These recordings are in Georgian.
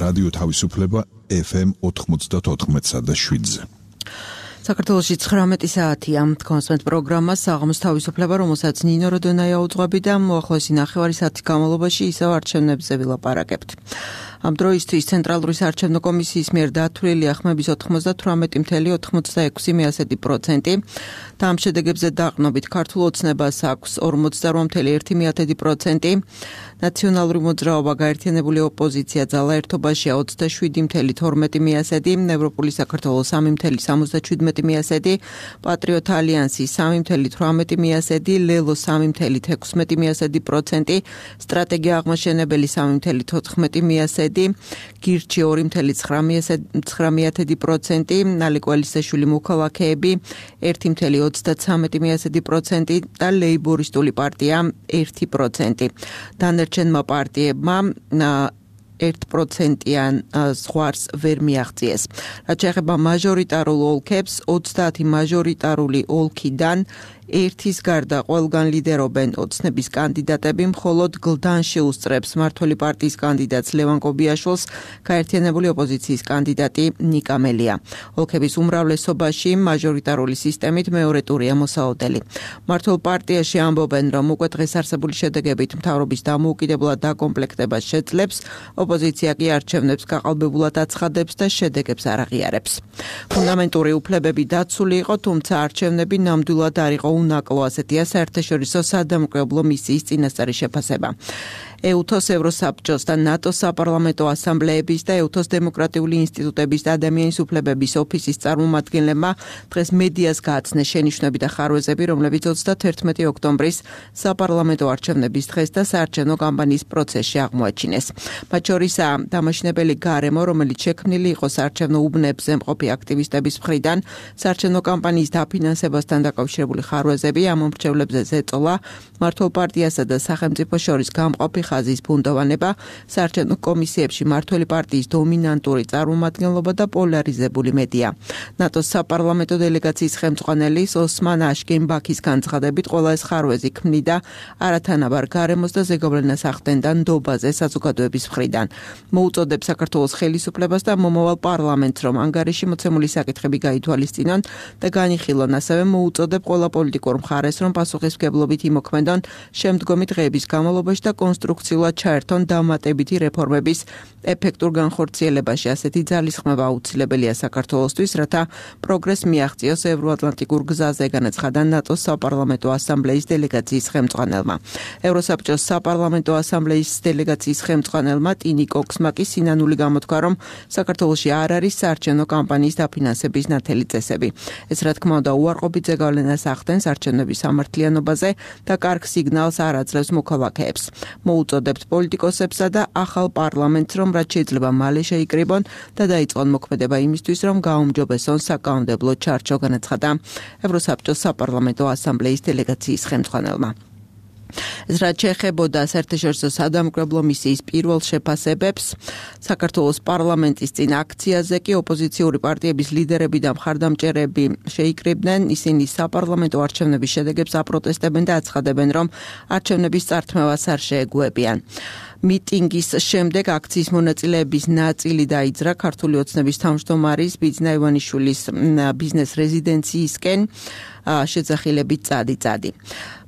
რადიო თავისუფლება FM 94.7-ზე. საქართველოში 19 საათია. კონსვენტ პროგრამა საღამოს თავისუფლება, რომელსაც ნინო როდონაია უძღვები და მოახლოესი ნახევარი საათის განმავლობაში ისევ არჩევნებზე ვილაპარაკებთ. ამ დროისთვის ცენტრალური საარჩევნო კომისიის მიერ დათვლილია ხმების 98.86%. და ამ შედეგებზე დაყრდნობით ქართულ ოცნებას აქვს 48.1%. ნაციონალური მოძრაობა, გაერთიანებული ოპოზიცია, ძალა ერთობაშია 27.12%, ევროპული საქართველოს 3.77%, პატრიოტ ალიანსი 3.18%, ლელო 3.16%, სტრატეგია აღმაშენებელი 3.14%, გირჩი 2.9%, ნალი კვალისაშვილი მოქალაქეები 1.33% და ლეიბორისტული პარტია 1%. დანარჩენმა პარტიებმა 1%-იან ზღვარს ვერ მიაღწიეს. რაც შეეხება მაჟორიტარულ ოლქებს, 30 მაჟორიტარული ოლქიდან ერთის გარდა ყველგან ლიდერობენ ოცნების კანდიდატები, მხოლოდ გლდანში უსწრებს მმართველი პარტიის კანდიდატს ლევან კობიაშვილს გაერთიანებული ოპოზიციის კანდიდატი ნიკა მელია. ოლქების უმრავლესობაში მაჟორიტარული სისტემით მეორე ტურია მოსაოდელი. მმართველ პარტიაში ამბობენ, რომ უკვე დღეს არსებული შედეგებით მთავრობის დამოუკიდებლად დაკომპლექტებას შეძლებს, ოპოზიცია კი არჩევნებს გაყალბებულად აცხადებს და შედეგებს არ აღიარებს. ფუნდამენტური უფლებები დაცული იყო, თუმცა არჩევნები ნამდვილად არ იყო უნაკლო, ასეთია საერთაშორისო სადამკვირვებლო მისიის წინასწარი შეფასება. EUTOS ევროსაბჭოს და ნატოს საპარლამენტო ასამბლეების და EUTOS დემოკრატიული ინსტიტუტების და ადამიანის უფლებების ოფისის წარმომადგენლებმა დღეს მედიას გააცნეს შენიშვნები და ხარვეზები, რომლებიც 31 ოქტომბრის საპარლამენტო არჩევნების დღეს და საარჩევნო კამპანიის პროცესში აღმოაჩინეს. მათ შორისაა დამაშნებელი გარემო, რომელიც შექმნილი იყო საარჩევნო უბნებზე მყოფი აქტივისტების მხრიდან, საარჩევნო კამპანიის დაფინანსებასთან დაკავშირებული ხარვეზები, ამ მომრჩევლებზე ზეწოლა, მმართველ პარტიასა და სახელმწიფოს შორის გამყოფი ხაზის ბუნდოვანება, საარჩევნო კომისიებში მმართველი პარტიის დომინანტური წარმომადგენლობა და პოლარიზებული მედია. ნატოს საპარლამენტო დელეგაციის ხელმძღვანელი ოსმან აშკენბაქის განცხადებით, ყველა ეს ხარვეზი ქმნიდა არათანაბარ გარემოს და ზეგავლენას ახდენდა ნდობაზე საზოგადოების მხრიდან. მოუწოდებს საქართველოს ხელისუფლებას და მომავალ პარლამენტს, რომ ანგარიში მოცემული საკითხები გაითვალისწინონ და განიხილონ, ასევე მოუწოდებ ყველა პოლიტიკურ მხარეს, რომ პასუხისმგებლობით იმოქმედონ შემდგომი დღეების განმავლობაში და კონსტრუქციულად ჩაერთონ დამატებითი რეფორმების ეფექტურ განხორციელებაში. ასეთი ძალისხმევა აუცილებელია საქართველოსთვის, რათა პროგრესს მიაღწიოს ევროატლანტიკურ გზაზე, განაცხადა ნატოს საპარლამენტო ასამბლეის დელეგაციის ხელმძღვანელმა. ევროსაბჭოს საპარლამენტო ასამბლეის დელეგაციის ხელმძღვანელმა ტინი კოქსმა კი სინანული გამოთქვა, რომ საქართველოში არ არის საარჩევნო კამპანიის დაფინანსების ნათელი წესები. ეს რა თქმა უნდა უარყოფით ზეგავლენას ახდენს არჩევნების სამართლიანობაზე და კარგ სიგნალს არ აძლევს მოქალაქეებს. მოუწოდებთ პოლიტიკოსებსა და ახალ პარლამენტს, რომ რაც შეიძლება მალე შეიკრიბონ და დაიწყონ მოქმედება იმისთვის, რომ გაუმჯობესონ საკანონმდებლო ჩარჩო, განაცხადა ევროსაბჭოს საპარლამენტო ასამბლეის დელეგაციის ხელმძღვანელმა. ეს რაც შეეხებოდა საერთაშორისო სადამკვირვებლო მისიის პირველ შეფასებებს, საქართველოს პარლამენტის წინ აქციაზე კი ოპოზიციური პარტიების ლიდერები და მხარდამჭერები შეიკრიბნენ. ისინი საპარლამენტო არჩევნების შედეგებს აპროტესტებენ და აცხადებენ, რომ არჩევნების წართმევას არ შეეგუებიან. მიტინგის შემდეგ აქციის მონაწილეების ნაწილი დაიძრა ქართული ოცნების თავმჯდომარის ბიძინა ივანიშვილის ბიზნეს რეზიდენციისკენ შეძახილებით წადი.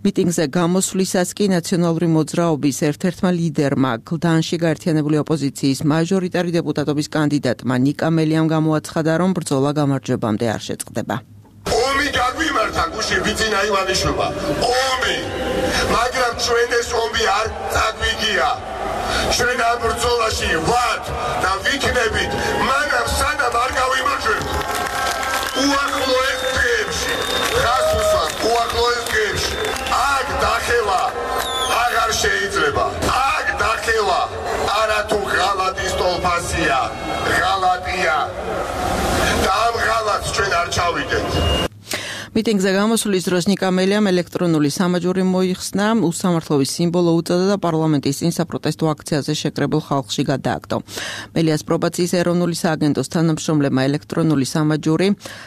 მიტინგზე გამოსვლისას კი ნაციონალური მოძრაობის ერთ-ერთმა ლიდერმა, გლდანში გაერთიანებული ოპოზიციის მაჟორიტარი დეპუტატობის კანდიდატმა ნიკა მელიამ გამოაცხადა, რომ ბრძოლა გამარჯვებამდე არ შეწყდება. ომი გაგვიმართა გუშინ ბიძინა ივანიშვილმა. ომი, მაგრამ ჩვენ ეს ომი არ წაგვიგია. ჩვენ ამ ბრძოლაში ვართ და ვიქნებით, მაგრამ სანამ არ გავიმარჯვებთ. უახლოეს დღეებში, გასულსა, უახლოეს დღეებში, აქ დახევა აღარ შეიძლება. აქ დახევა არათუ ღალატის ტოლფასია, ღალატია. და ამ ღალატს ჩვენ არ ჩავიდეთ. მიტინგზე გამოსვლის დროს ნიკა მელიამ ელექტრონული სამაჯური მოიხსნა, უსამართლობის სიმბოლო უწოდა და პარლამენტის წინ საპროტესტო აქციაზე შეკრებილ ხალხში გადააგდო. მელიას პრობაციის ეროვნული სააგენტოს თანამშრომლებმა ელექტრონული სამაჯური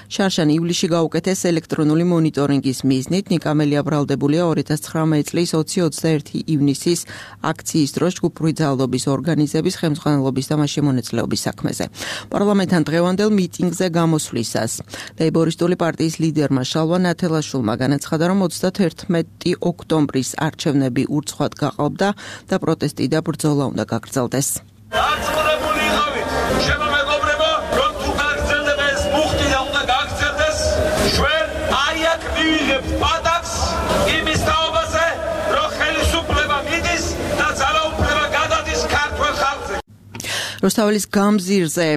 შარშან ივლისში გაუკეთეს ელექტრონული მონიტორინგის მიზნით. ნიკა მელია ბრალდებულია 2019 წლის 20-21 ივნისის აქციის დროს ჯგუფური ძალადობის ორგანიზების ხელმძღვანელობის და მასში მონაწილეობის საქმეზე. პარლამენტთან დღევანდელ მიტინგზე გამოსვლისას ლეიბორისტული პარტიის ლიდერმა შალვა ნათელაშვილმა განაცხადა, რომ 31 ოქტომბრის არჩევნები ურცხვად გაყალბდა და პროტესტი და ბრძოლა უნდა გაგრძელდეს. დაწუნებული იყავით, შემომეგობრებო, რომ თუ გაგრძელდება ეს მუხტი და უნდა გაგრძელდეს, ჩვენ აი აქ მივიღებთ პატაკს იმის თაობაზე, რომ ხელისუფლება მიდის და ძალაუფლება გადადის ქართველ ხალხზე. რუსთაველის გამზირზე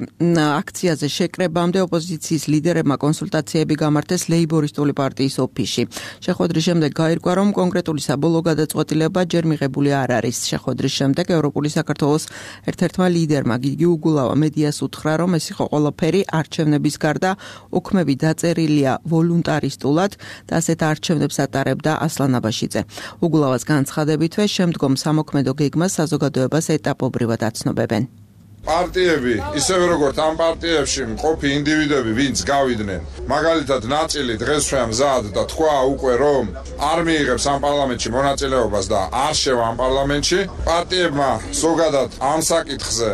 აქციაზე შეკრებამდე ოპოზიციის ლიდერებმა კონსულტაციები გამართეს ლეიბორისტული პარტიის ოფისში. შეხვედრის შემდეგ გაირკვა, რომ კონკრეტული საბოლოო გადაწყვეტილება ჯერ მიღებული არ არის. შეხვედრის შემდეგ ევროპული საქართველოს ერთ-ერთმა ლიდერმა გიგი უგულავა მედიას უთხრა, რომ ეს იყო ყველაფერი არჩევნების გარდა, ოქმები დაწერილია ვოლუნტარისტულად და ასეთ არჩევნებს ატარებდა ასლან აბაშიძე. უგულავას განცხადებითვე შემდგომ სამოქმედო გეგმას საზოგადოებას ეტაპობრივად აცნობებენ. პარტიები, ისევე როგორც ამ პარტიებში მყოფი ინდივიდები, ვინც გავიდნენ, მაგალითად ნაწილი დღეს ჩვენ მზად და თქვა უკვე, რომ არ მიიღებს ამ პარლამენტში მონაწილეობას და არ შევა ამ პარლამენტში, პარტიებმა ზოგადად ამ საკითხზე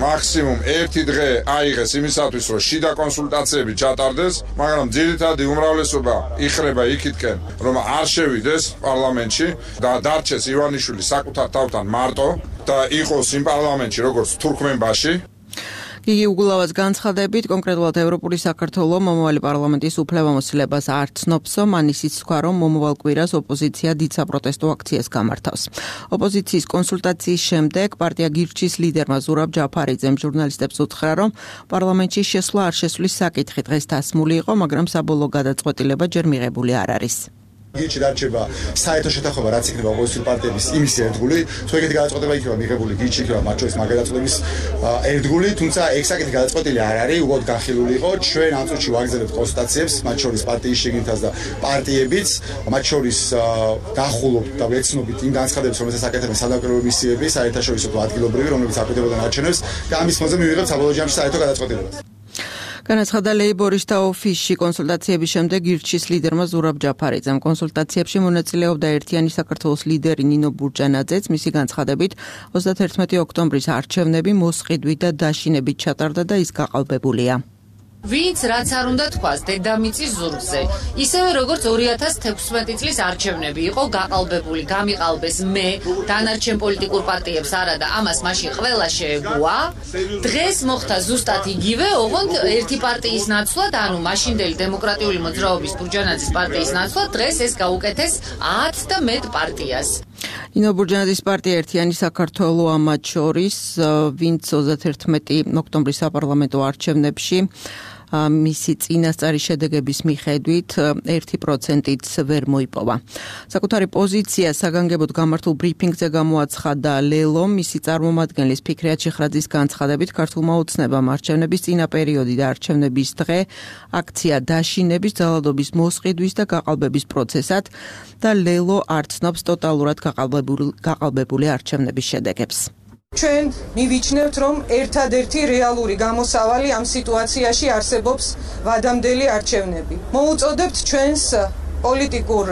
მაქსიმუმ 1 დღე აიღეს იმისათვის, რომ შიდა კონსულტაციები ჩატარდეს, მაგრამ ძირითადი უმრავლესობა იხრება იქითკენ, რომ არ შევიდეს პარლამენტში და დარჩეს ივანიშვილი საკუთარ თავთან მარტო და იყოს იმ პარლამენტში, როგორც თურქმენბაში. გიგი უგულავას განცხადებით, კონკრეტულად ევროპული საქართველოს მომავალი პარლამენტის უფლებამოსილებას არ ცნობსო, მან ისიც თქვა, რომ მომავალ კვირას ოპოზიცია დიდ საპროტესტო აქციას გამართავს. ოპოზიციის კონსულტაციის შემდეგ პარტია გირჩის ლიდერმა ზურაბ ჯაფარიძემ ჟურნალისტებს უთხრა, რომ პარლამენტში შესვლა არ შესვლის საკითხი დღეს დასმული იყო, მაგრამ საბოლოო გადაწყვეტილება ჯერ მიღებული არ არის. გირჩი დარჩება საერთო შეთანხმება, რაც იქნება ოპოზიციური პარტიების იმის ერთგული, თუ ეგეთი გადაწყვეტილება იქნება მიღებული, გირჩი იქნება მათ შორის მაგ გადაწყვეტილების ერთგული, თუმცა ეგ საკითხი გადაწყვეტილი არ არის, უბრალოდ განხილული იყო. ჩვენ ამ წუთში ვაგრძელებთ კონსულტაციებს, მათ შორის პარტიის შიგნითაც და პარტიებიც, მათ შორის დახულობთ და ვეცნობით იმ განცხადებებს, რომელსაც აკეთებენ სადამკვირვებლო მისიები, საერთაშორისო თუ ადგილობრივი, რომლებიც აკვირდებიან არჩევნებს და ამის ფონზე მივიღებთ საბოლოო ჯამში საერთო გადაწყვეტილებას. განაცხადა ლეიბორისტთა ოფისში კონსულტაციების შემდეგ გირჩის ლიდერმა ზურაბ ჯაფარიძემ. კონსულტაციებში მონაწილეობდა ერთიანი საქართველოს ლიდერი ნინო ბურჯანაძეც. მისი განცხადებით 31 ოქტომბრის არჩევნები მოსყიდვით და დაშინებით ჩატარდა და ის გაყალბებულია. ვინც რაც არ უნდა თქვას დედამიწის ზურგზე, ისევე როგორც 2016 წლის არჩევნები იყო გაყალბებული, გამიყალბეს მე, დანარჩენ პოლიტიკურ პარტიებს არა და ამას მაშინ ყველა შეეგუა. დღეს მოხდა ზუსტად იგივე, ოღონდ ერთი პარტიის ნაცვლად, ანუ მაშინდელი დემოკრატიული მოძრაობის ბურჯანაძის პარტიის ნაცვლად, დღეს ეს გაუკეთეს 10 და მეტ პარტიას. ნინო ბურჯანაძის პარტია ერთიანი საქართველო ამათ შორის, ვინც 31 ოქტომბრის საპარლამენტო არჩევნებში მისი წინასწარი შედეგების მიხედვით 1%-ით ვერ მოიპოვა. საკუთარი პოზიცია საგანგებოდ გამართულ ბრიფინგზე გამოაცხადა ლელო, მისი წარმომადგენლის ფიქრიათ შეხრაძის განცხადებით, ქართულმა ოცნებამ არჩევნების წინა პერიოდი და არჩევნების დღე აქცია დაშინების, ძალადობის მოსყიდვის და გაყალბების პროცესად და ლელო არ ცნობს ტოტალურად გაყალბებული არჩევნების შედეგებს. ჩვენ მივიჩნევთ, რომ ერთადერთი რეალური გამოსავალი ამ სიტუაციაში არსებობს ვადამდელი არჩევნები. მოუწოდებთ ჩვენს პოლიტიკურ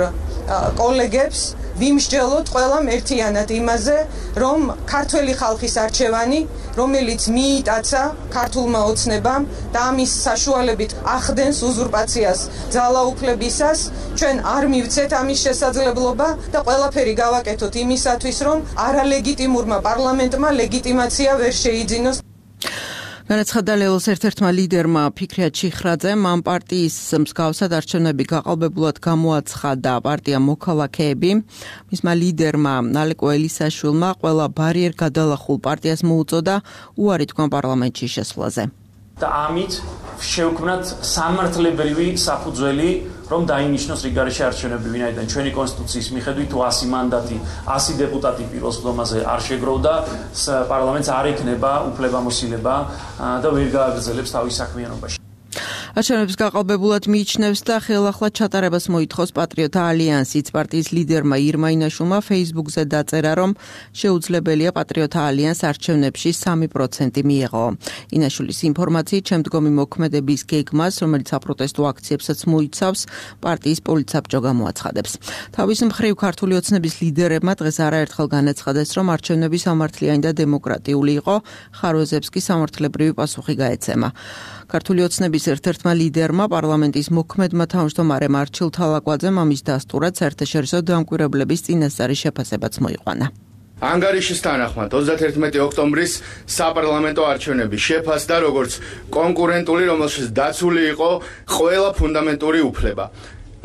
კოლეგებს ვიმსჯელოთ ყველამ ერთიანად იმაზე, რომ ქართველი ხალხის არჩევანი, რომელიც მიიტაცა ქართულმა ოცნებამ და ამის საშუალებით ახდენს უზურპაციას ძალაუფლებისას, ჩვენ არ მივცეთ ამის შესაძლებლობა და ყველაფერი გავაკეთოთ იმისათვის, რომ არალეგიტიმურმა პარლამენტმა ლეგიტიმაცია ვერ შეიძინოს. განაცხადა ლელოს ერთ-ერთმა ლიდერმა ფიქრიათ შეხრაძემ, ამ პარტიის მსგავსად არჩევნები გაყალბებულად გამოაცხადა პარტია მოქალაქეები. მისმა ლიდერმა ალეკო ელისაშვილმა ყველა ბარიერ გადალახულ პარტიას მოუწოდა უარი თქვა პარლამენტში შესვლაზე. და ამით შევქმნათ სამართლებრივი საფუძველი, რომ დაინიშნოს რიგარეში არჩევნები, ვინაიდან ჩვენი კონსტიტუციის მიხედვით 100 მანდატი, 100 დეპუტატი პირველ სხდომაზე არ შეგროვდა, პარლამენტს არ ექნება უფლებამოსილება და ვერ გააგრძელებს თავის საქმიანობაში. არჩევნების გაყალბებულად მიიჩნევს და ხელახლა ჩატარებას მოითხოვს პატრიოტთა ალიანსიც. პარტიის ლიდერმა ირმა ინაშვილმა Facebook-ზე დაწერა, რომ შეუძლებელია პატრიოტთა ალიანს არჩევნებში 3% მიეღო. ინაშვილის ინფორმაციით, შემდგომი მოქმედების გეგმას, რომელიც საპროტესტო აქციებსაც მოიცავს, პარტიის პოლიტსაბჭო გამოაცხადებს. თავის მხრივ ქართული ოცნების ლიდერებმა დღეს არაერთხელ განაცხადეს, რომ არჩევნები სამართლიანი და დემოკრატიული იყო, ხარვეზებს კი სამართლებრივი პასუხი გაეცემა. ქართული ოცნების ერთ-ერთმა ლიდერმა პარლამენტის მოქმედმა თავმჯდომარემ არჩილ თალაკვაძემ ამის დასტურად საერთაშორისო დამკვირვებლების წინასწარი შეფასებაც მოიყვანა. ანგარიშის თანახმად 31 ოქტომბრის საპარლამენტო არჩევნები შეფასდა როგორც კონკურენტული, რომელშიც დაცული იყო ყველა ფუნდამენტური უფლება.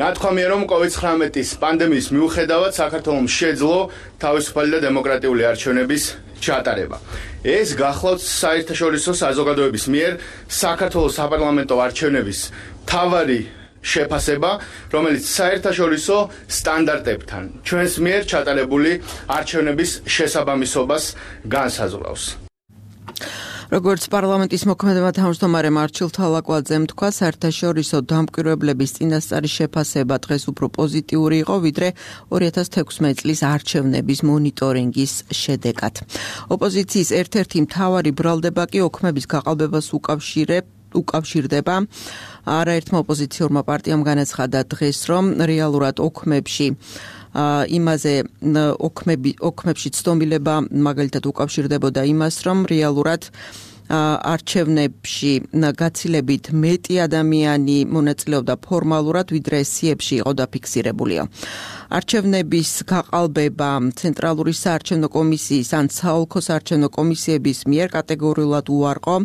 ნათქვამია, რომ COVID-19 პანდემიის მიუხედავად საქართველოს შეძლო თავისუფალი და დემოკრატიული არჩევნების ჩატარება. ეს გახლავთ საერთაშორისო საზოგადოების მიერ საქართველოს საპარლამენტო არჩევნების მთავარი შეფასება, რომელიც საერთაშორისო სტანდარტებთან ჩვენს მიერ ჩატარებული არჩევნების შესაბამისობას განსაზღვრავს. როგორც პარლამენტის მოქმედმა თავმჯდომარემ არჩილ თალაკვაძემ თქვა, საერთაშორისო დამკვირვებლების წინასწარი შეფასება დღეს უფრო პოზიტიური იყო, ვიდრე 2016 წლის არჩევნების მონიტორინგის შედეგად. ოპოზიციის ერთ-ერთი მთავარი ბრალდება კი ოქმების გაყალბებას უკავშირდება. არაერთმა ოპოზიციურმა პარტიამ განაცხადა დღეს, რომ რეალურად ოქმებში იმაზე ოქმებში ცდომილება მაგალითად უკავშირდებოდა იმას, რომ რეალურად არჩევნებში გაცილებით მეტი ადამიანი მონაწილეობდა ფორმალურად, ვიდრე სიებში იყო დაფიქსირებულია. არჩევნების გაყალბება ცენტრალური საარჩევნო კომისიის ან საოლქო საარჩევნო კომისიების მიერ კატეგორიულად უარყო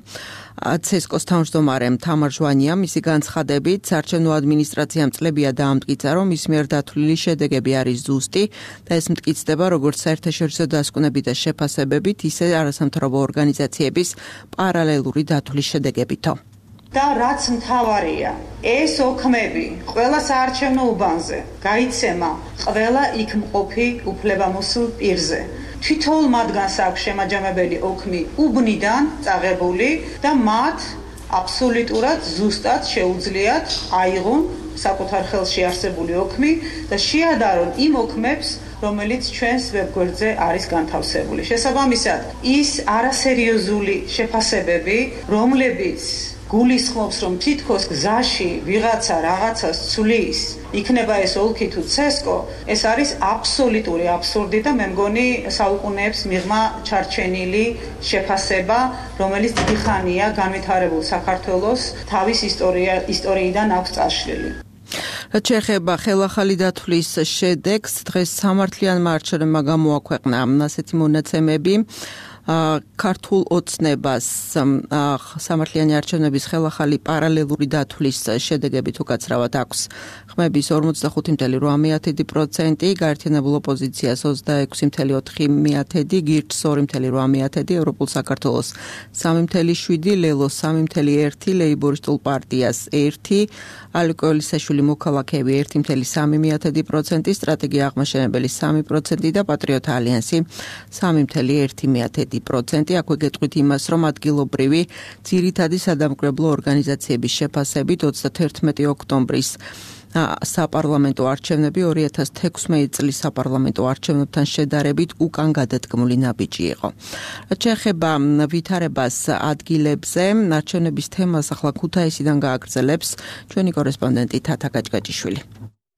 ცესკოს თავმჯდომარემ თამარ ჟვანიამ. მისი განცხადებით, საარჩევნო ადმინისტრაციამ წლებია დაამტკიცა, რომ მის მიერ დათვლილი შედეგები არის ზუსტი და ეს მტკიცდება როგორც საერთაშორისო დასკვნებით და შეფასებებით, ისე არასამთავრობო ორგანიზაციების პარალელური დათვლის შედეგებითო. და რაც მთავარია, ეს ოქმები ყველა საარჩევნო უბანზე გაიცემა ყველა იქ მყოფი უფლებამოსილ პირზე. თითოეულ მათგანს აქვს შემაჯამებელი ოქმი უბნიდან წაღებული და მათ აბსოლუტურად ზუსტად შეუძლიათ აიღონ საკუთარ ხელში არსებული ოქმი და შეადარონ იმ ოქმებს, რომელიც ჩვენს ვებგვერდზე არის განთავსებული. შესაბამისად, ის არასერიოზული შეფასებები, რომლებიც გულისხმობს, რომ თითქოს გზაში ვიღაცა რაღაცას ცulis, იქნება ეს ოლქი თუ ცესკო, ეს არის აბსოლუტური აბსურდი და მე მგონი საუკუნეებს მიღმა ჩარჩენილი შეფასება, რომელიც დიდი ხანია განვითარებულ საქართველოს თავის ისტორიიდან აქვს წაშლილი. რაც შეეხება ხელახალი დათვლის შედეგს, დღეს სამართლიანმა არჩევნებმა გამოაქვეყნა ასეთი მონაცემები. ქართულ ოცნებას სამართლიანი არჩევნების ხელახალი პარალელური დათვლის შედეგები თუ გაცრავად აქვს ხმების 45.8%, გაერთიანებულ ოპოზიციას 26.4%, გირჩს 2.8%, ევროპულ საქართველოს 3.7%, ლელოს 3.1%, ლეიბორისტულ პარტიას 1%, ალეკოელისაშვილი მოქალაქეები 1.3%, სტრატეგია აღმაშენებელი 3% და პატრიოტთა ალიანსი 3.1%. აქვე გეტყვით იმას, რომ ადგილობრივი ძირითადი სადამკვირვებლო ორგანიზაციების შეფასებით 21 ოქტომბრის საპარლამენტო არჩევნები 2016 წლის საპარლამენტო არჩევნებთან შედარებით უკან გადადგმული ნაბიჯი იყო. რაც შეეხება ვითარებას ადგილებზე, არჩევნების თემას ახლა ქუთაისიდან გააგრძელებს ჩვენი კორესპონდენტი თათა გაჭგაჭიშვილი.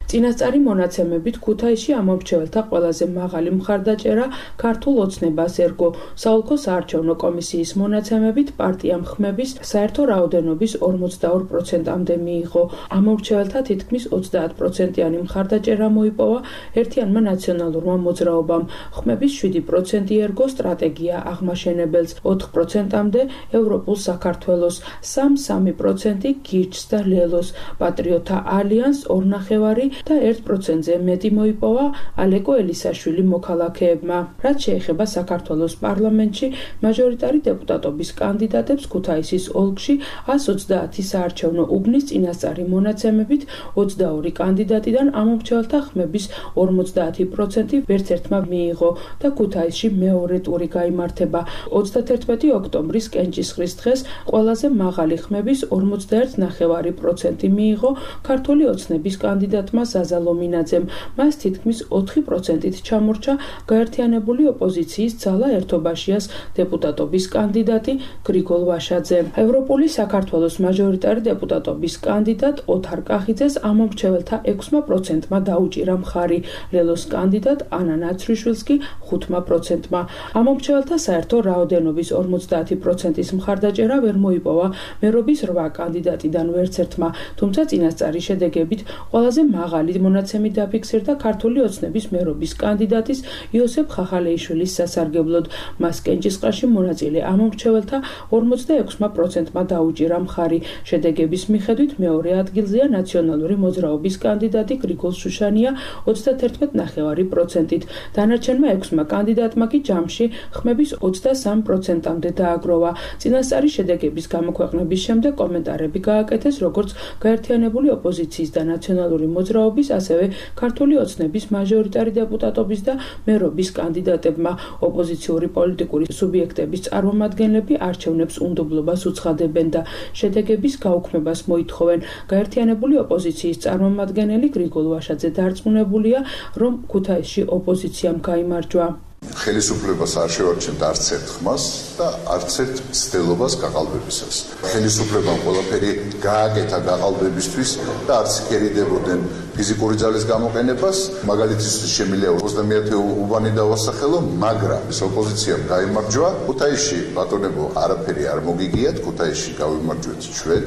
წინასწარი მონაცემებით ქუთაისში ამომრჩეველთა ყველაზე მაღალი მხარდაჭერა ქართულ ოცნებას ერგო. საოლქო საარჩევნო კომისიის მონაცემებით პარტიამ ხმების საერთო რაოდენობის 42%-მდე მიიღო. ამომრჩეველთა თითქმის 30%-იანი მხარდაჭერა მოიპოვა ერთიანმა ნაციონალურმა მოძრაობამ. ხმების 7% ერგო სტრატეგია აღმაშენებელს, 4%-მდე ევროპულ საქართველოს, 3% გირჩს და ლელოს, პატრიოტთა ალიანს 2.5% და 1%-ზე მეტი მოიპოვა ალეკო ელისაშვილი მოქალაქეებმა. რაც შეეხება საქართველოს პარლამენტში მაჟორიტარი დეპუტატობის კანდიდატებს ქუთაისის ოლქში 130 საარჩევნო უბნის წინასწარი მონაცემებით 22 კანდიდატიდან ამომრჩეველთა ხმების 50% ვერც ერთმა მიიღო და ქუთაისში მეორე ტური გაიმართება. 31 ოქტომბრის კენჭისყრის დღეს ყველაზე მაღალი ხმების 51.5% მიიღო ქართული ოცნების კანდიდატმა ზაზა ლომინაძემ. მას თითქმის 4%-ით ჩამორჩა გაერთიანებული ოპოზიციის ძალა ერთობაშიას დეპუტატობის კანდიდატი გრიგოლ ვაშაძე. ევროპული საქართველოს მაჟორიტარი დეპუტატობის კანდიდატ ოთარ კახიძეს ამომრჩეველთა 6%-მა დაუჭირა მხარი. ლელოს კანდიდატ ანა ნაცრიშვილს კი 5%-მა. ამომრჩეველთა საერთო რაოდენობის 50%-ის მხარდაჭერა ვერ მოიპოვა მერობის 8 კანდიდატიდან ვერც ერთმა, თუმცა წინასწარი შედეგებით ყველაზე მაღალი მონაცემი დაფიქსირდა ქართული ოცნების მერობის კანდიდატის იოსებ ხახალეიშვილის სასარგებლოდ. მას კენჭისყრაში მონაწილე ამომრჩეველთა 46%-მა დაუჭირა მხარი. შედეგების მიხედვით მეორე ადგილზეა ნაციონალური მოძრაობის კანდიდატი გრიგოლ შუშანია 31.5%-ით. დანარჩენმა 6 კანდიდატმა კი ჯამში ხმების 23%-მდე დააგროვა. წინასწარი შედეგების გამოქვეყნების შემდეგ კომენტარები გააკეთეს როგორც გაერთიანებული ოპოზიციის და ნაციონალური მოძრაობის, ასევე ქართული ოცნების მაჟორიტარი დეპუტატობის და მერობის კანდიდატებმა. ოპოზიციური პოლიტიკური სუბიექტების წარმომადგენლები არჩევნებს უნდობლობას უცხადებენ და შედეგების გაუქმებას მოითხოვენ. გაერთიანებული ოპოზიციის წარმომადგენელი გრიგოლ ვაშაძე დარწმუნებულია, რომ ქუთაისში ოპოზიციამ გაიმარჯვა. ხელისუფლებას არ შევარჩენთ არც ერთ ხმას და არც ერთ მცდელობას გაყალბებისას. ხელისუფლებამ ყველაფერი გააკეთა გაყალბებისთვის და არც კერიდებოდნენ ფიზიკური ძალის გამოყენებას. მაგალითისთვის შემიძლია 21 უბანი დავასახელო, მაგრამ ეს ოპოზიციამ გაიმარჯვა. ქუთაისში ბატონებო არაფერი არ მოგიგიათ, ქუთაისში გავიმარჯვეთ ჩვენ.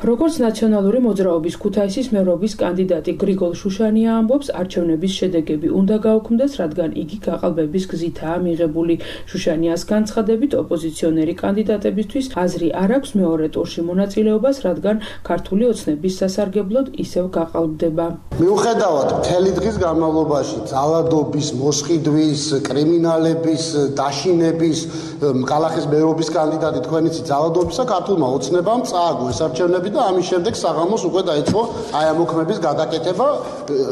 როგორც ნაციონალური მოძრაობის ქუთაისის მერობის კანდიდატი გრიგოლ შუშანია ამბობს, არჩევნების შედეგები უნდა გაუქმდეს, რადგან იგი გაყალბების გზითაა მიღებული. შუშანიას განცხადებით, ოპოზიციონერი კანდიდატებისთვის აზრი არ აქვს მეორე ტურში მონაწილეობას, რადგან ქართული ოცნების სასარგებლოდ ისევ გაყალბდება. მიუხედავად მთელი დღის განმავლობაში ძალადობის, მოსყიდვის, კრიმინალების, დაშინების, კალახის მერობის კანდიდატი თქვენიცი ძალადობისა ქართულმა ოცნებამ წააგო ეს არჩევნები და ამის შემდეგ საღამოს უკვე დაიწყო აი ამ მოქმედის გადაკეთება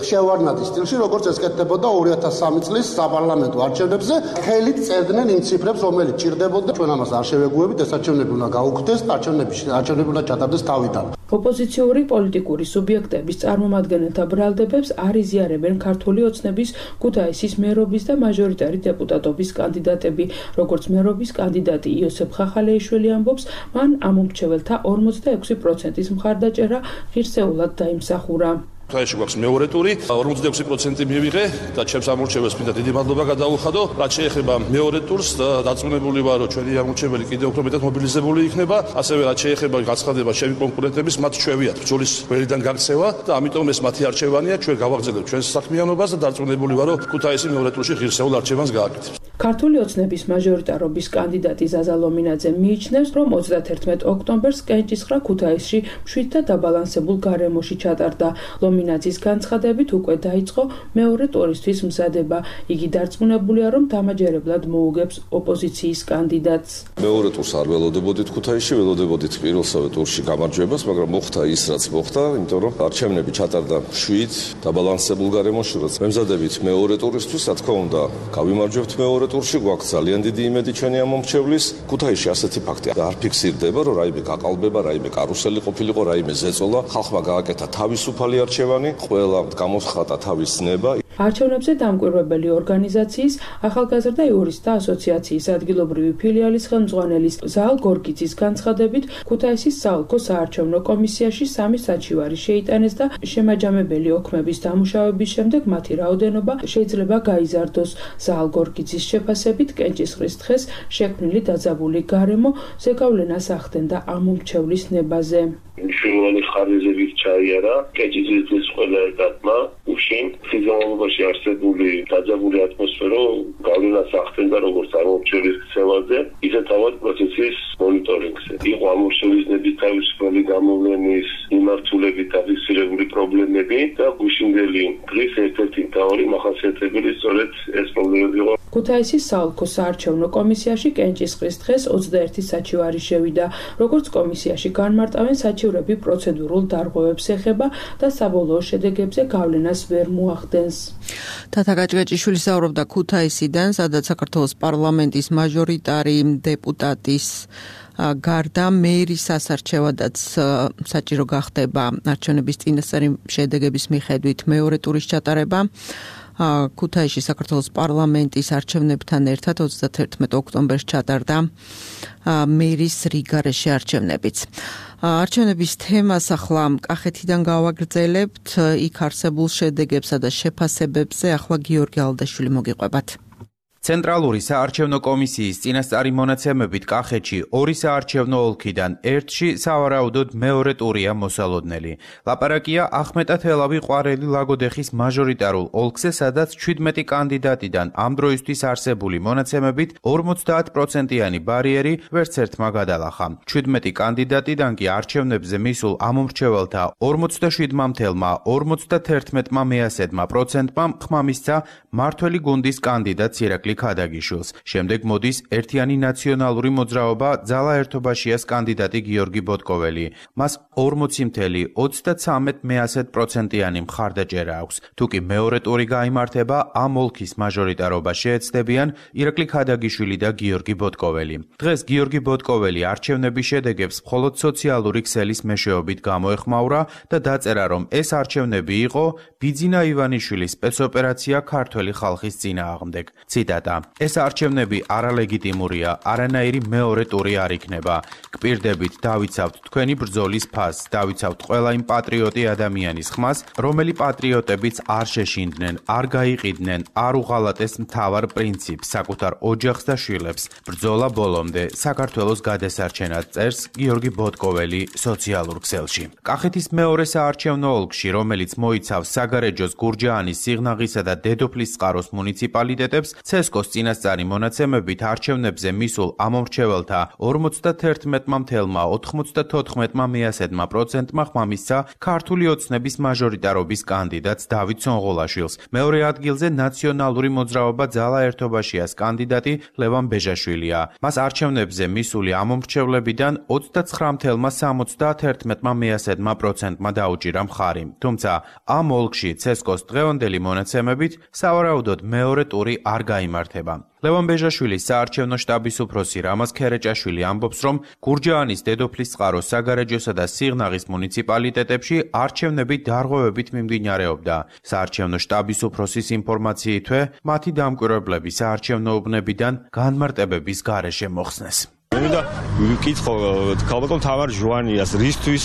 შევარდნაძის სტილში, როგორც ეს კეთდებოდა 2003 წლის საპარლამენტო არჩევნებზე. ხელით წერდნენ იმ ციფრებს, რომელიც ჭირდებოდა. ჩვენ ამას არ შევეგუებით, ეს არჩევნები უნდა გაუქმდეს, არჩევნები უნდა ჩატარდეს თავიდან. ოპოზიციური პოლიტიკური სუბიექტების წარმომადგენელთა ბრალდებებს არ იზიარებენ ქართული ოცნების ქუთაისის მერობის და მაჟორიტარი დეპუტატობის კანდიდატები. როგორც მერობის კანდიდატი იოსებ ხახალეიშვილი ამბობს, მან ამომრჩეველთა 46%-ის მხარდაჭერა ღირსეულად დაიმსახურა. ქუთაისში გვაქვს მეორე ტური, 46% მივიღე და ჩემს ამორჩეველს მინდა დიდი მადლობა გადაუხადო. რაც შეეხება მეორე ტურს, დარწმუნებული ვარ, რომ ჩვენი ამორჩეველი კიდევ უფრო მეტად მობილიზებული იქნება. ასევე რაც შეეხება გაცხადება ჩემი კონკურენტების, მათ ჩვევიათ ბრძოლის ველიდან გაქცევა და ამიტომ ეს მათი არჩევანია. ჩვენ გავაგრძელებთ ჩვენს საქმიანობას და დარწმუნებული ვარ, რომ ქუთაისი მეორე ტურში ღირსეულ არჩევანს გააკეთებს. ქართული ოცნების მაჟორიტარობის კანდიდატი ზაზა ლომინაძე მიიჩნევს, რომ 31 ოქტომბერს კენჭისყრა ქუთაისში მშვიდ და დაბალანსებულ გარემოში ჩატარდა. ლომინაძის განცხადებით უკვე დაიწყო მეორე ტურისთვის მზადება. იგი დარწმუნებულია, რომ დამაჯერებლად მოუგებს ოპოზიციის კანდიდატს. მეორე ტურს არ ველოდებოდით ქუთაისში, ველოდებოდით პირველსავე ტურში გამარჯვებას, მაგრამ მოხდა ის, რაც მოხდა, იმიტომ რომ არჩევნები ჩატარდა მშვიდ, დაბალანსებულ გარემოში, რაც მემზადებით მეორე ტურისთვის, რა თქმა უნდა, გავიმარჯვებთ მეორე ტურში, გვაქვს ძალიან დიდი იმედი ჩვენი ამომრჩევლის. ქუთაისში ასეთი ფაქტი არ ფიქსირდება, რომ რაიმე გაყალბება, რაიმე კარუსელი ყოფილიყო, რაიმე ზეწოლა, ხალხმა გააკეთა თავისუფალი არჩევანი, ყველა გამოხატა თავის ნება. არჩევნებზე დამკვირვებელი ორგანიზაციის ახალგაზრდა იურისტთა ასოციაციის ადგილობრივი ფილიალის ხელმძღვანელის ზაალ გორგიძის განცხადებით, ქუთაისის საოლქო საარჩევნო კომისიაში 3 საჩივარი შეიტანეს და შემაჯამებელი ოქმების დამუშავების შემდეგ მათი რაოდენობა შეიძლება გაიზარდოს. ზაალ გორგიძის შეფასებით, კენჭისყრის დღეს შექმნილი დაძაბული გარემო ზეგავლენას ახდენდა ამომრჩევლის ნებაზე. მნიშვნელოვანი ხარჯებით ჩაიარა კეჭის ყველა ეტაპმა უშინ სიზონალობაში არსებული დაძაბული ატმოსფერო გავლენას ახდენდა როგორც ამორჩევის ქცევაზე, ისე თავად პროცესის მონიტორინგზე. იყო ამორჩევის თავისუფალი გამოვლენის მიმართულებით დაფიქსირებული პრობლემები და გუშინდელი დღის ერთ-ერთი მთავარი მახასიათებელი სწორედ ეს პრობლემები იყო. ქუთაისის საოლქო საარჩევნო კომისიაში კენჭისყრის დღეს 21 საჩივარი შევიდა. როგორც კომისიაში განმარტავენ, საჩივრები პროცედურულ დარღვევებს ეხება და საბოლოო შედეგებზე გავლენას ვერ მოახდენს. თათა გაჭგეჭიშვილი საუბრობდა ქუთაისიდან, სადაც საქართველოს პარლამენტის მაჟორიტარი დეპუტატის გარდა მერის სასარჩევადაც საჭირო გახდება არჩევნების წინასწარი შედეგების მიხედვით მეორე ტურის ჩატარება. ქუთაისში საქართველოს პარლამენტის არჩევნებთან ერთად 31 ოქტომბერს ჩატარდა მერის რიგარეში არჩევნებიც. არჩევნების თემას ახლა კახეთიდან გავაგრძელებთ, იქ არსებულ შედეგებსა და შეფასებებზე ახლა გიორგი ალდაშვილი მოგიყვებათ. ცენტრალური საარჩევნო კომისიის წინასწარი მონაცემებით კახეთში 2 საარჩევნო ოლქიდან 1-ში სავარაუდოდ მეორე ტურია მოსალოდნელი. ლაპარაკია ახმეტათელავი ყვარელი ლაგოდეხის მაჟორიტარულ ოლქზე, სადაც 17 კანდიდატიდან ამ დროისთვის არსებული მონაცემებით 50%-იანი ბარიერი ვერც ერთმა გადალახა. 17 კანდიდატიდან კი არჩევნებზე მისულ ამომრჩეველთა 47-51%-მა ხმამისცა მართველი გუნდის კანდიდატ ირაკლი ქადაგიშვილს. შემდეგ მოდის ერთიანი ნაციონალური მოძრაობა ძალა ერთობაშიას კანდიდატი გიორგი ბოტკოველი. მას 40.33%-იანი მხარდაჭერა აქვს. თუკი მეორე ტური გაიმართება, ამ ოლქის მაჟორიტარობა შეეცდებიან ირაკლი ქადაგიშვილი და გიორგი ბოტკოველი. დღეს გიორგი ბოტკოველი არჩევნების შედეგებს მხოლოდ სოციალური ქსელის მეშვეობით გამოეხმაურა და დაწერა, რომ ეს არჩევნები იყო ბიძინა ივანიშვილის სპეცოპერაცია ქართველი ხალხის წინააღმდეგ. ციტატა: ეს არჩევნები არალეგიტიმურია, არანაირი მეორე ტური არ იქნება. გპირდებით დავიცავთ თქვენი ბრძოლის ფასს, დავიცავთ ყველა იმ პატრიოტი ადამიანის ხმას, რომელი პატრიოტებიც არ შეშინდნენ, არ გაიყიდნენ, არ უღალატეს მთავარ პრინციპს, საკუთარ ოჯახს და შვილებს. ბრძოლა ბოლომდე, საქართველოს გადასარჩენად, წერს გიორგი ბოტკოველი სოციალურ ქსელში. კახეთის მეორე საარჩევნო ოლქში, რომელიც მოიცავს საგარეჯოს, გურჯაანის, სიღნაღისა და დედოფლისწყაროს მუნიციპალიტეტებს, ცესკოს წინასწარი მონაცემებით არჩევნებზე მისულ ამომრჩეველთა 51.94%-მა ხმამისცა ქართული ოცნების მაჟორიტარობის კანდიდატს დავით სონღოლაშვილს. მეორე ადგილზე ნაციონალური მოძრაობა ძალა ერთობაშიას კანდიდატი ლევან ბეჟაშვილია. მას არჩევნებზე მისული ამომრჩევლებიდან 29.71%-მა დაუჭირა მხარი. თუმცა ამ ოლქში ცესკოს დღევანდელი მონაცემებით სავარაუდოდ მეორე ტური არ გაიმართება. ლევან ბეჟაშვილის საარჩევნო შტაბის უფროსი რამაზ ქერეჭაშვილი ამბობს, რომ გურჯაანის, დედოფლისწყაროს, საგარეჯოსა და სიღნაღის მუნიციპალიტეტებში არჩევნები დარღვევებით მიმდინარეობდა. საარჩევნო შტაბის უფროსის ინფორმაციითვე, მათი დამკვირვებლები საარჩევნო უბნებიდან განმარტებების გარეშე მოხსნეს. მინდა ვიკითხო ქალბატონ თამარ ჟუანიას, რისთვის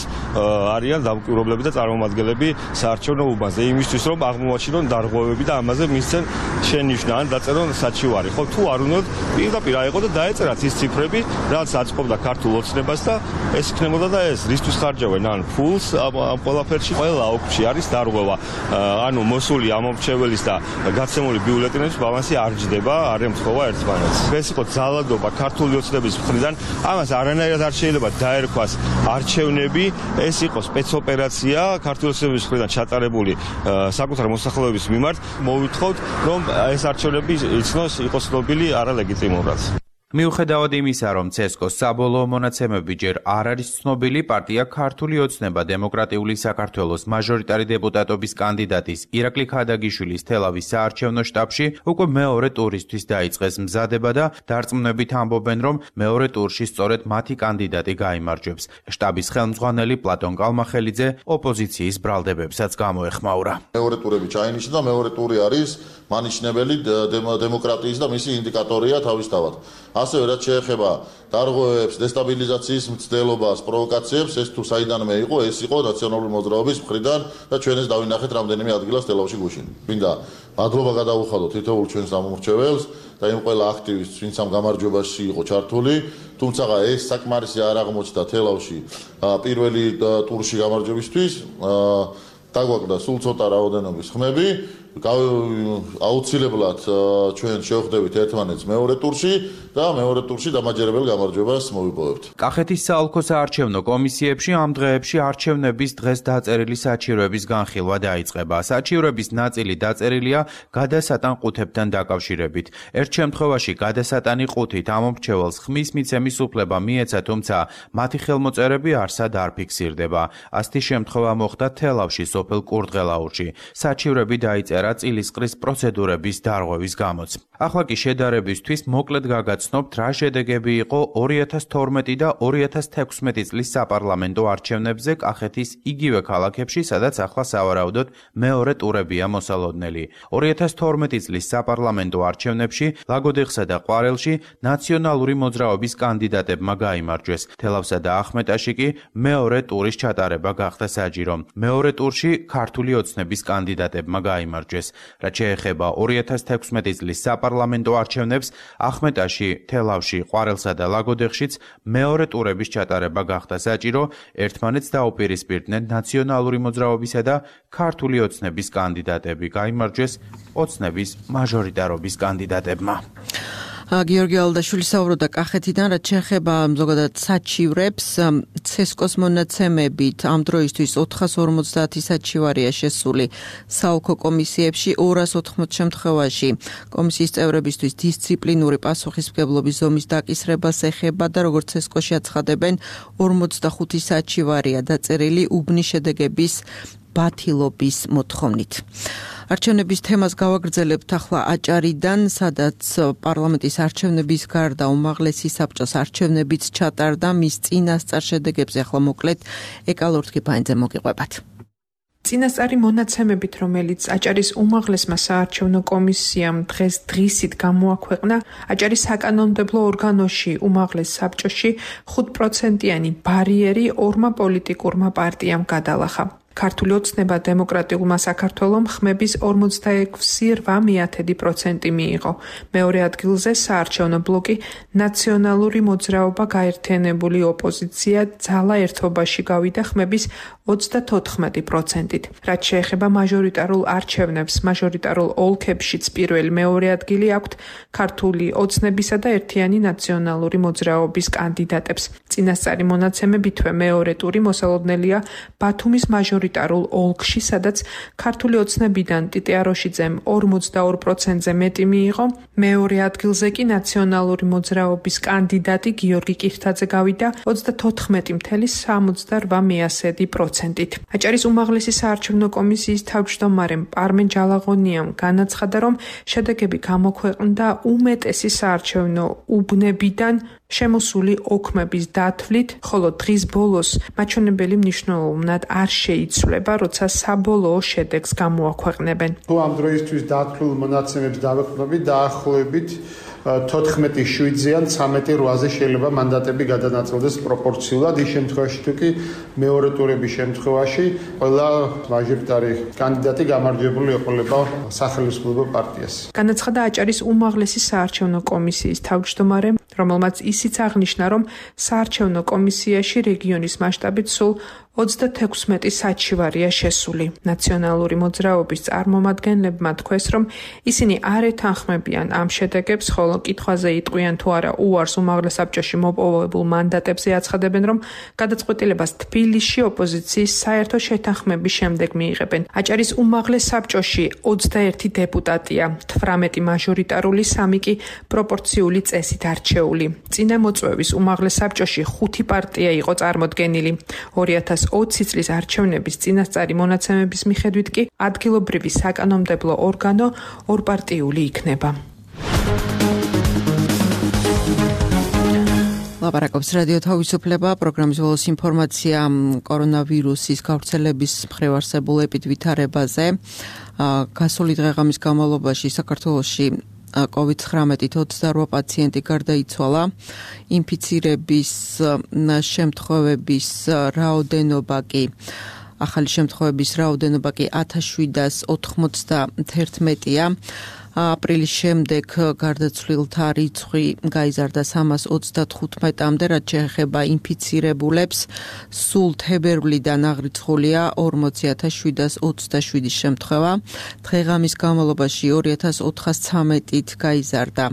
არიან დამკვირვებლები და წარმომადგენლები საარჩევნო უბანზე, იმისთვის რომ აღმოაჩინონ დარღვევები და ამაზე მისცენ შენიშვნა ან დაწერონ საჩივარი, ხო? თუ არ უნდათ პირდაპირ აიყო და დაეწერათ ის ციფრები, რაც აწყობდა ქართულ ოცნებას და ეს იქნებოდა და ეს რისთვის ხარჯავენ ან ფულს ამ ყველაფერში. ყველა ოლქში არის დარღვევა, ანუ მოსული ამომრჩეველის და გაცემული ბიულეტენების ბალანსი არ ჯდება, არ ემთხვევა ერთმანეთს. ეს იყო ძალადობა ქართული ოცნების მხრიდან, ამას არანაირად არ შეიძლება დაერქვას არჩევნები, ეს იყო სპეცოპერაცია ქართული ოცნების მხრიდან ჩატარებული საკუთარ მოსახლეობის მიმართ. მოვითხოვთ, რომ ეს არჩევნები იცნოს, იყოს ცნობილი არალეგიტიმურად. მიუხედავად იმისა, რომ ცესკოს საბოლოო მონაცემები ჯერ არ არის ცნობილი, პარტია ქართული ოცნება დემოკრატიული საქართველოს მაჟორიტარი დეპუტატობის კანდიდატის ირაკლი ქადაგიშვილის თელავის საარჩევნო შტაბში უკვე მეორე ტურისთვის დაიწყეს მზადება და დარწმუნებით ამბობენ, რომ მეორე ტურში სწორედ მათი კანდიდატი გაიმარჯვებს. შტაბის ხელმძღვანელი პლატონ კალმახელიძე ოპოზიციის ბრალდებებსაც გამოეხმაურა. მეორე ტურები ჩაინიშნა და მეორე ტური არის მანიშნებელი დემოკრატიის და მისი ინდიკატორია თავისთავად. ასევე რაც შეეხება დარღვევებს, დესტაბილიზაციის მცდელობას, პროვოკაციებს, ეს თუ საიდანვე იყო, ეს იყო ნაციონალური მოძრაობის მხრიდან და ჩვენ ეს დავინახეთ რამდენიმე ადგილას თელავში გუშინ. მინდა მადლობა გადავუხადოთ თითოეულ ჩვენს გამომრჩეველს და იმ ყველა აქტივისტს, ვინც ამ გამარჯვებაში იყო ჩართული, თუმცა ეს საკმარისი არ აღმოჩნდა თელავში პირველი ტურში გამარჯვებისთვის. დაგვაკლდა სულ ცოტა რაოდენობის ხმები, აუცილებლად ჩვენ შევხვდებით ერთმანეთს მეორე ტურში და მეორე ტურში დამაჯერებელ გამარჯვებას მოვიპოვებთ. კახეთის საოლქო საარჩევნო კომისიებში ამ დღეებში არჩევნების დღეს დაწერილი საჩივრების განხილვა დაიწყება. საჩივრების ნაწილი დაწერილია გადასატან ყუთებთან დაკავშირებით. ერთ შემთხვევაში გადასატანი ყუთით ამომრჩეველს ხმის მიცემის უფლება მიეცა, თუმცა მათი ხელმოწერები არსად არ ფიქსირდება. ასეთი შემთხვევა მოხდა თელავში სოფელ კურდღელაურში. საჩივრები დაიწერა წილისყრის პროცედურების დარღვევის გამოც. ახლა კი შედარებისთვის მოკლედ გაგაცნობთ, რა შედეგები იყო 2012 და 2016 წლის საპარლამენტო არჩევნებზე კახეთის იგივე ქალაქებში, სადაც ახლა სავარაუდოდ მეორე ტურებია მოსალოდნელი. 2012 წლის საპარლამენტო არჩევნებში ლაგოდეხსა და ყვარელში ნაციონალური მოძრაობის კანდიდატებმა გაიმარჯვეს. თელავსა და ახმეტაში კი მეორე ტურის ჩატარება გახდა საჯირო. მეორე ტურში ქართული ოცნების კანდიდატებმა გაიმარჯვეს. რაც შეეხება 2016 წლის საპარლამენტო არჩევნებს, ახმეტაში, თელავში, ყვარელსა და ლაგოდეხშიც მეორე ტურების ჩატარება გახდა საჭირო, ერთმანეთს დაუპირისპირდნენ ნაციონალური მოძრაობისა და ქართული ოცნების კანდიდატები. გაიმარჯვეს ოცნების მაჟორიტარობის კანდიდატებმა. გიორგი ალდაშვილი საუბრობდა კახეთიდან, რაც შეეხება ზოგადად საჩივრებს. ცესკოს მონაცემებით ამ დროისთვის 450 საჩივარია შესული საოლქო კომისიებში, 280 შემთხვევაში კომისიის წევრებისთვის დისციპლინური პასუხისმგებლობის ზომის დაკისრებას ეხება და როგორც ცესკოში აცხადებენ, 45 საჩივარია დაწერილი უბნის შედეგების ბათილობის მოთხოვნით. არჩევნების თემას გავაგრძელებთ ახლა აჭარიდან, სადაც პარლამენტის არჩევნების გარდა უმაღლესი საბჭოს არჩევნებიც ჩატარდა. მის წინასწარ შედეგებზე ახლა მოკლედ ეკალორთკი ფაინძე მოგიყვებათ. წინასწარი მონაცემებით, რომელიც აჭარის უმაღლესმა საარჩევნო კომისიამ დღეს დღისით გამოაქვეყნა, აჭარის საკანონმდებლო ორგანოში უმაღლეს საბჭოში 5%-იანი ბარიერი ორმა პოლიტიკურმა პარტიამ გადალახა. ქართული ოცნება დემოკრატიულმა საქართველომ ხმების 46,8% მიიღო. მეორე ადგილზე საარჩევნო ბლოკი ნაციონალური მოძრაობა გაერთიანებული ოპოზიცია ძალა ერთობაში გავიდა ხმების 34%-ით. რაც შეეხება მაჟორიტარულ არჩევნებს, მაჟორიტარულ ოლქებშიც პირველი მეორე ადგილი აქვთ ქართული ოცნებისა და ერთიანი ნაციონალური მოძრაობის კანდიდატებს. წინასწარი მონაცემებითვე მეორე ტური მოსალოდნელია ბათუმის მაჟორიტარულ ოლქში, სადაც ქართული ოცნებიდან ტიტე აროშიძემ 42%-ზე მეტი მიიღო, მეორე ადგილზე კი ნაციონალური მოძრაობის კანდიდატი გიორგი კირთაძე გავიდა 34,78%-ით. აჭარის უმაღლესი საარჩევნო კომისიის თავმჯდომარემ პარმენ ჯალაღონიამ განაცხადა, რომ შედეგები გამოქვეყნდა უმეტესი საარჩევნო უბნებიდან შემოსული ოქმების დათვლით, ხოლო დღის ბოლოს მაჩვენებელი მნიშვნელოვნად არ შეიცვლება, როცა საბოლოო შედეგს გამოაქვეყნებენ. თუ ამ დროისთვის დათვლილ მონაცემებს დავეყრდნობით, დაახლოებით 14-7-ზეან 13-8-ზე შეიძლება მანდატები გადანაწილდეს პროპორციულად. ის შემთხვევაში თუ კი მეორე ტურების შემთხვევაში ყველა მაჟორიტარი კანდიდატი გამარჯვებული ეყოლება სახელმწიფო პარტიას. განაცხადა აჭარის უმაღლესი საარჩევნო კომისიის თავმჯდომარემ, რომელმაც ისიც აღნიშნა, რომ საარჩევნო კომისიაში რეგიონის მასშტაბით სულ 36 საჩივარია შესული. ნაციონალური მოძრაობის წარმომადგენლებმა თქვეს, რომ ისინი არ ეთანხმებიან ამ შედეგებს, ხოლო კითხვაზე იტყვიან თუ არა უარს უმაღლეს საბჭოში მოპოვებულ მანდატებზე, აცხადებენ, რომ გადაწყვეტილებას თბილისში ოპოზიციის საერთო შეთანხმების შემდეგ მიიღებენ. აჭარის უმაღლეს საბჭოში 21 დეპუტატია, 18 მაჟორიტარული, 3 კი პროპორციული წესით არჩეული. წინა მოწვევის უმაღლეს საბჭოში 5 პარტია იყო წარმოდგენილი. 2020 წლის არჩევნების წინასწარი მონაცემების მიხედვით კი ადგილობრივი საკანონმდებლო ორგანო ორპარტიული იქნება. ლაპარაკობს რადიო თავისუფლება, პროგრამის ბოლოს ინფორმაცია კორონავირუსის გავრცელების მხრივ არსებულ ეპიდვითარებაზე. გასული დღეღამის განმავლობაში საქართველოში COVID-19-ით 28 პაციენტი გარდაიცვალა. ინფიცირების შემთხვევების რაოდენობა კი ახალი შემთხვევების რაოდენობა კი 1791-ია. აპრილის შემდეგ გარდაცვლილთა რიცხვი გაიზარდა 335-მდე, რაც შეეხება ინფიცირებულებს. სულ თებერვლიდან აღრიცხულია 40727 შემთხვევა. დღე-ღამის განმავლობაში 2413-ით გაიზარდა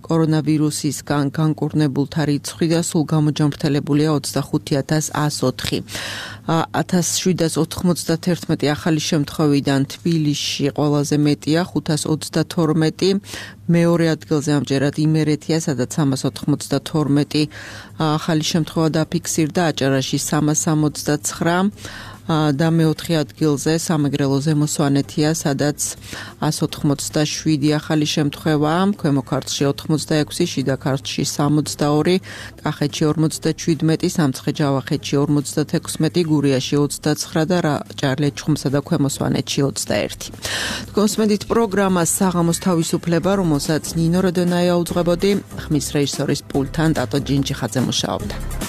კორონავირუსისგან განკურნებულთა რიცხვი და სულ გამოჯამრთელებულია 25104. 1791 ახალი შემთხვევიდან თბილისში ყველაზე მეტია 522, მეორე ადგილზე ამჯერად იმერეთია, სადაც 392 ახალი შემთხვევა დაფიქსირდა, აჭარაში 369 და მეოთხე ადგილზე სამეგრელო ზემო სვანეთია, სადაც 187 ახალი შემთხვევაა, ქვემო ქართლში 86, შიდა ქართლში 62, კახეთში 57, სამცხე-ჯავახეთში 56, გურიაში 29 და ჭარლიაჩხუმსა და ქვემო სვანეთში 21. კონსმედით პროგრამას საღამოს თავისუფლება, რომელსაც ნინო როდონაია უძღვებოდი, ხმის რეჟისორის პულტთან ტატო ჯინჯიხაძე მუშაობდა.